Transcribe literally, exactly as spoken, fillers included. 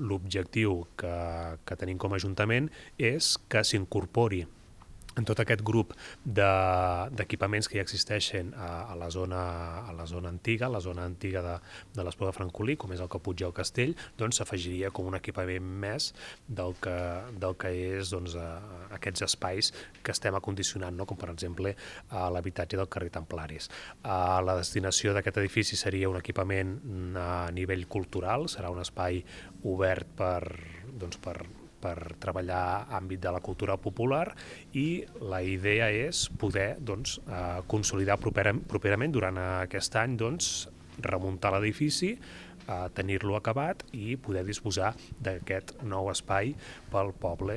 l'objectiu que, que tenim com a Ajuntament és que s'incorpori en tot aquest grup d'equipaments de, que ja existeixen a, a, la zona, a la zona antiga, a la zona antiga de, de l'Espluga de Francolí, com és el Caputx i el Castell, doncs s'afegiria com un equipament més del que, del que és doncs, a, a aquests espais que estem acondicionant, no? Com per exemple a l'habitatge del carrer Templaris. A la destinació d'aquest edifici seria un equipament a nivell cultural, serà un espai obert per, doncs, per per treballar àmbit de la cultura popular i la idea és poder doncs, eh, consolidar proper, properament durant aquest any doncs, remuntar l'edifici, eh, tenir-lo acabat i poder disposar d'aquest nou espai pel poble